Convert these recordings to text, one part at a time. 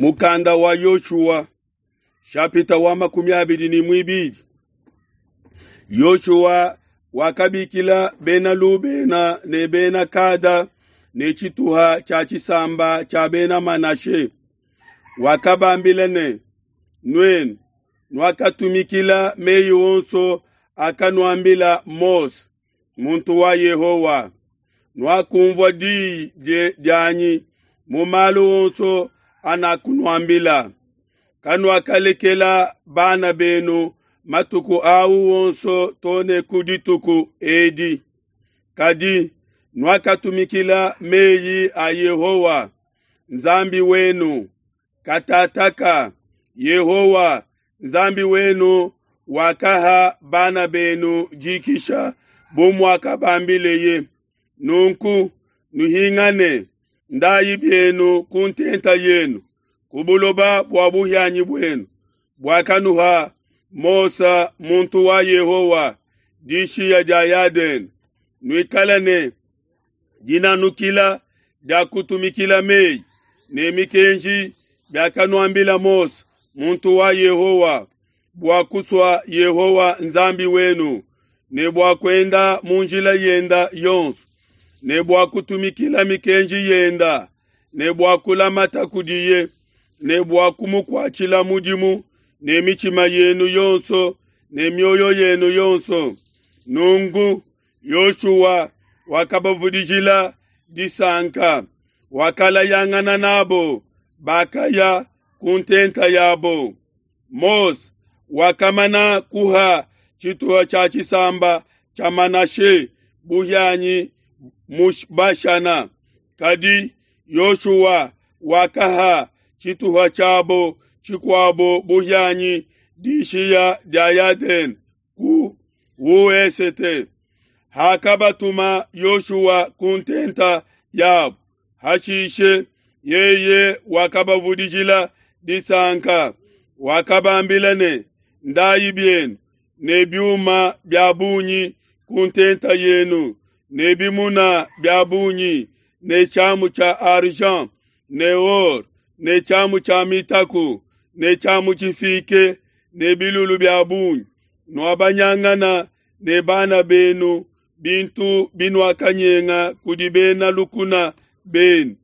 Mukanda wa Yoshua shapita wa 22. Yoshua wakabikila bena Lubena ne bena Kada ne tshituha tshia tshisamba tshia bena Manashe. Wakabambila ne, Nuenu nuakatumikila meyi onso akanuambila Mose, muntu wa Yehowa. Nuakumvua diyi dianyi mu malu onso anakunuambila. Kanuakalekela bana benu matuku au onso too ne ku dituku edi. Kadi nuakatumikila meyi a Yehowa, Nzambi wenu. Katataka Yehowa, Nzambi wenu, wakaha bana benu dikisha bu muakabambileye. Nunku nuhingane, ndayi bienu ku ntenta yenu, ku buloba bua buhianyi buenu, buakanuha Mose muntu wa Yehowa dishiya dia Yadene. Nuikale ne dinanukila dia kutumikila meyi ne mikenji biakanuambila Mose muntu wa Yehowa, bua kusua Yehowa Nzambi wenu, ne bua kuenda mu njila yenda yonso, ne bua kutumikila mikenji yenda, ne bua kulamata kudiye, ne bua kumukuatshila mudimu ne mitshima yenu yonso ne mioyo yenu yonso. Nunku Yoshua wakabavudijila disanka, wakalayangana nabo, bakaya ku ntenta yabo. Mose wakamana kuha tshituha tshia tshisamba tshia Manashe buhianyi mu Bashana, kadi Yoshua wakaha tshituha tshiabo tshikuabo buhianyi dishiya dia Yadene ku wesete. Hakabatuma Yoshua ku ntenta yabo, hashishe yeye wakabavudijila disanka, wakabambila ne, Ndayi bienu ne biuma bia bungi ku ntenta yenu, ne bimuna bia bungi, ne tshiamu tshia argent ne or, ne tshiamu tshia mitaku, ne tshiamu tshifike, ne bilulu bia bungi. Nuabanyangana ne bana benu bintu binuakanyenga kudi bena lukuna benu,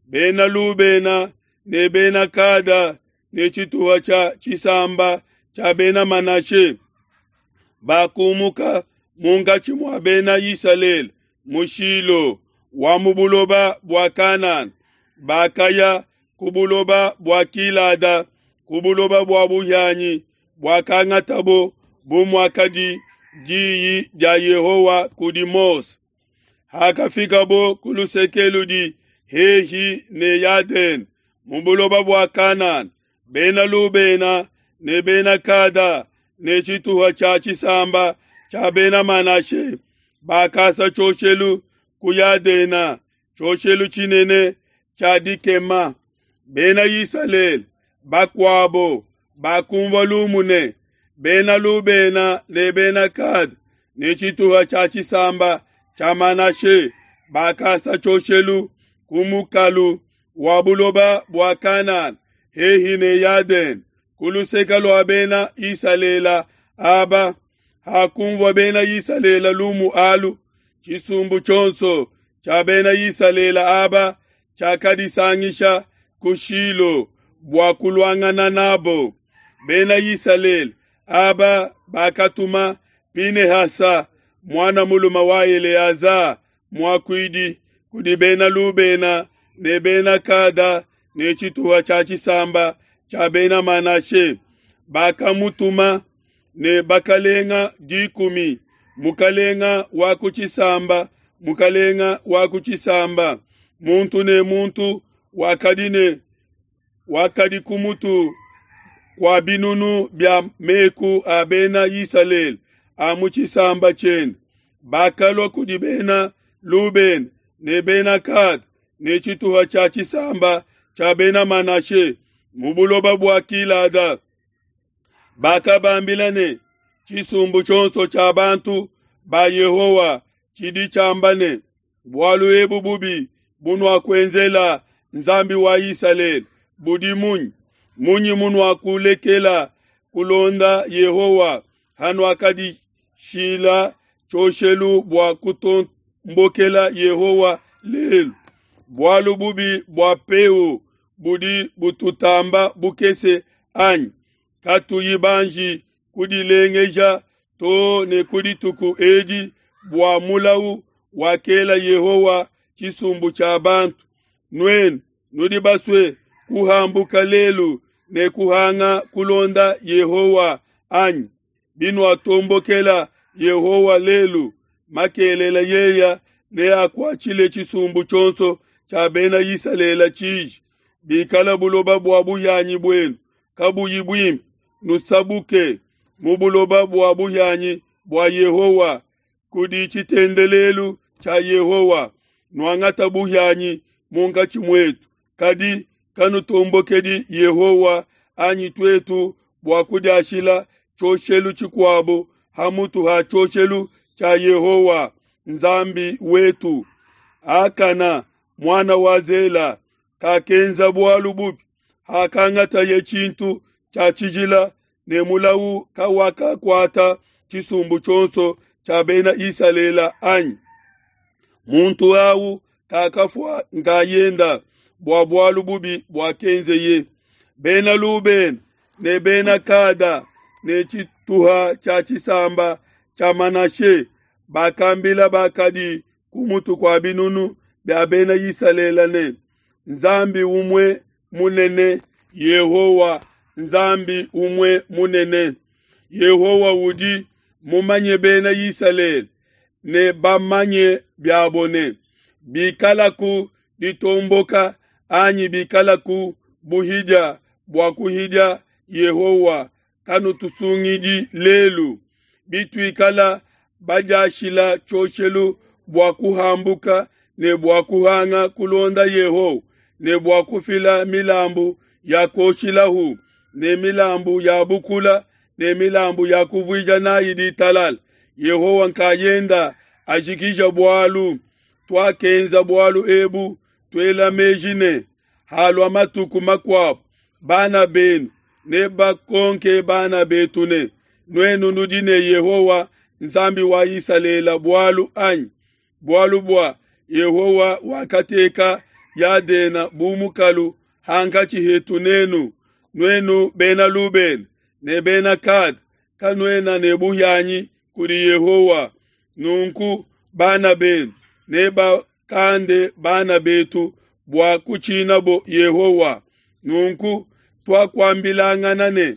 bena Lubena ne bena Kada ne tshituha tshia tshisamba tshia bena Manashe. Bakumuka munkatshi mua bena Isalele mu Shilo wa mu buloba bua Kanana, bakaya ku buloba bua Gilada, ku buloba bua buhianyi buakangatabo bu muakadi diyi dia Yehowa kudi Mose. Hakafikabo ku luseke ludi hehi ne Yadene mu buloba bua Kanana, bena Lubena ne bena Kada ne tshituha tshia tshisamba tshia bena Manashe bakasa tshioshelu ku Yadena, tshioshelu tshinene tshia dikema. Bena Isalele bakuabo bakumvua lumu ne, bena Lubena ne bena Kada ne tshituha tshia tshisamba tshia Manashe bakasa tshioshelu ku mukalu wa buloba bua Kanana hehi ne Yadene, ku luseke lua bena Isalele aba. Hakumvua bena Isalele lumu alu, tshisumbu tshionso tshia bena Isalele aba tshiakadisangisha ku Shilo bua kuluangana nabo. Bena Isalele aba bakatuma Pinehasa, muana mulume wa Eleaza muakuidi, kudi bena Lubena ne bena Kada ne tshituha tshia tshisamba tshia bena Manashe. Bakamutuma ne bakalenga 10, mukalenga wa ku tshisamba, mukalenga wa ku tshisamba, muntu ne muntu wakadi ne wakadi ku mutu kua binunu bia meku a bena Isalele a mu tshisamba tshiende. Bakalua kudi bena Lubena ne bena Kada ne tshituha tshia tshisamba tshia bena Manashe mu buloba bua Gilada. Bakabambila ne, tshisumbu tshionso tshia bantu ba Yehowa tshidi tshiamba ne, bualu ebu bubi bunuakuenzela Nzambi wa Isalele. budi munyi? Munyi munuakulekela kulonda Yehowa hanuakadishila tshioshelu bua kutombokela Yehowa lelu? Bualu bubi bua Peo budi bututamba bukese anyi? Katuyi banji kudilengeja too ne ku dituku edi bua mulawu wakela Yehowa tshisumbu tshia bantu. Nuenu nudi basue kuhambuka lelu ne kuhanga kulonda Yehowa anyi? Binuatombokela Yehowa lelu, makelela yeya neakuatshile tshisumbu tshionso tshia Bena Isalele tshiji. Bikala buloba bua buhianyi buenu kabuyi buimpe, nusabuke mu buloba bua buhianyi bua Yehowa kudi tshitendelelu tshia Yehowa, nuangata buhianyi munkatshi muetu. Kadi kanutombokedi Yehowa anyi tuetu bua kudiashila tshioshelu tshikuabo ha mutu ha tshioshelu tshia Yehowa Nzambi wetu. Akana muana wa Zela kakenza bualu bubi hakangataye tshintu tshia tshijila, ne mulawu kawakakuata tshisumbu tshionso tshia Bena Isalele anyi? Muntu awu kakafua nkayenda bua bualu bubi buakenzeye. Bena Lubena ne Bena Kada ne tshituha tshia tshisamba tshia Manashe bakambila bakadi ku mutu kua binunu bia Bena Isalele ne, Nzambi umue munene, Yehowa Nzambi umue munene. Yehowa udi mumanye Bena Isalele ne bamanye biabo ne, bikalaku ditomboka anyi bikalaku buhidia bua kuhidia Yehowa, kanutusungidi lelu. Bituikala badiashila tshioshelu bua kuhambuka ne bua kuhanga kulonda Yehowa, ne bua kufila milambu ya kuoshilahu ne milambu ya bukula ne milambu ya kuvuija nayi ditalala, Yehowa nkayenda ajikija bualu. Tuakenza bualu ebu tuela meji ne, halua matuku makuabo, bana benu ne bakonke bana betu ne, nuenu nudi ne Yehowa Nzambi wa Isalele bualu anyi? Bualu bua Yehowa wakateka Yadena bu mukalu hankatshi hetu nenu, nuenu Bena Lubena ne Bena Kada, kanuena ne buhianyi kudi Yehowa. Nunku bana benu ne bakande bana betu bua kutshinabo Yehowa. Nunku tuakuambilangana ne,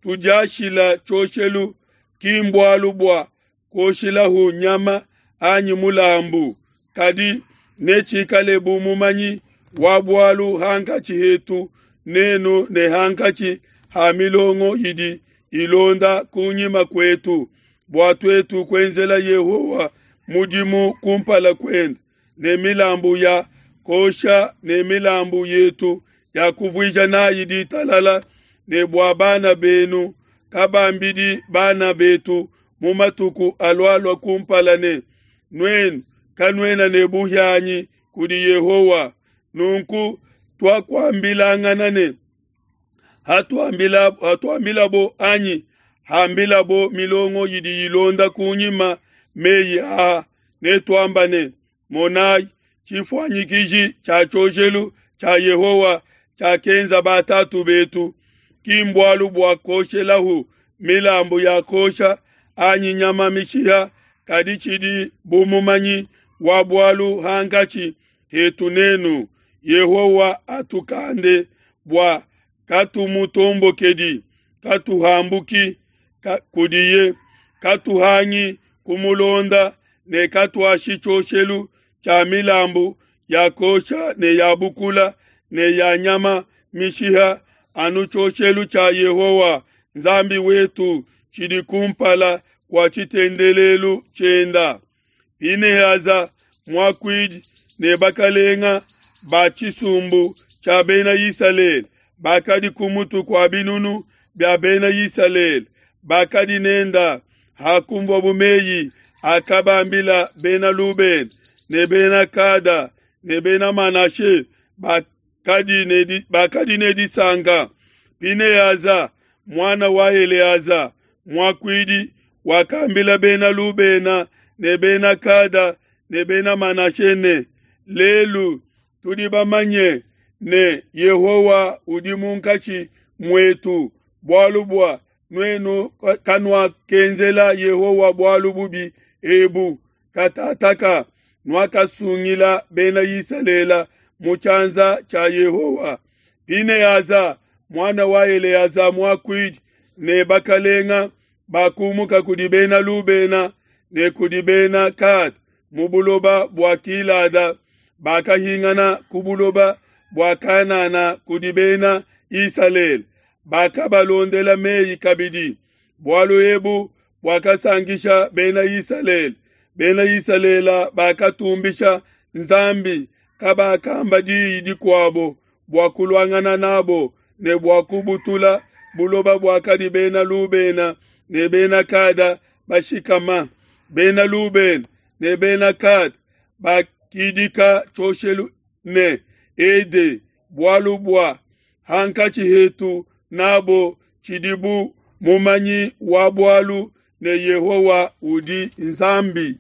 tudiashila tshioshelu ki mbualu bua kuoshilahu nyama anyi mulambu, kadi netshikale bu mumanyi wa bualu hankatshi hetu nenu ne hankatshi ha milongo idi ilonda kunyima kuetu, bua tuetu kuenzela Yehowa mudimu kumpala kuende ne milambu ya kosha ne milambu yetu ya kuvuija nayi ditalala, ne bua bana benu kabambidi bana betu mu matuku alualua kumpala ne, nuenu kanuena ne buhianyi kudi Yehowa. Nunku tuakuambilangana ne, hatuambilabo anyi hambilabo milongo idi ilonda kunyima meyi aa, netuamba ne, monai, tshifuanyikiji tshia tshioshelu tshia Yehowa tshiakenza batatu betu, ki mbualu bua kuoshelahu milambu ya kosha anyi nyama mishiha, kadi tshidi bu mumanyi wa bualu hankatshi hetu nenu. Yehowa atukande bua katumutombokedi, katuhambuki kudiye, katuhangi kumulonda ne katuashi tshioshelu tshia milambu ya kosha ne ya bukula ne ya nyama mishiha, anu tshioshelu tshia Yehowa Nzambi wetu tshidi kumpala kua tshitendelelu tshienda. Pinehasa muakuidi ne bakalenga ba tshisumbu tshia Bena Isalele bakadi ku mutu kua binunu bia Bena Isalele bakadi nenda hakumvuabo meyi akabambila Bena Lubena ne Bena Kada ne Bena Manashe. bakadi ne disanka. Pinehaza, muana wa Eleaza muakuidi, wakambila Bena Lubena ne Bena Gada ne Bena Manashe ne, Lelu tudi bamanye ne, Yehowa udi munkatshi muetu, bualu bua nuenu kanuakenzela Yehowa bualu bubi ebu. Katataka nuakasungila Bena Isalele mu tshianza tshia Yehowa. Pinehaza, muana wa Eleaza muakuidi, ne bakalenga bakumuka kudi Bena Lubena ne kudi Bena Gada mu buloba bua Gilada, bakahingana ku buloba bua Kanana kudi Bena Isalele, bakabalondela meyi kabidi. Bualu ebu buakasankisha Bena Isalele. Bena Isalele bakatumbisha Nzambi, kabakamba diyi dikuabo bua kuluangana nabo ne bua kubutula buloba buakadi Bena Lubena ne Bena Gada bashikama. Bena Lubena ne Bena Gada bakidika tshioshelu ne Ede, bualu bua hankatshi hetu nabo tshidi bu mumanyi wa bualu ne Yehowa udi Nzambi.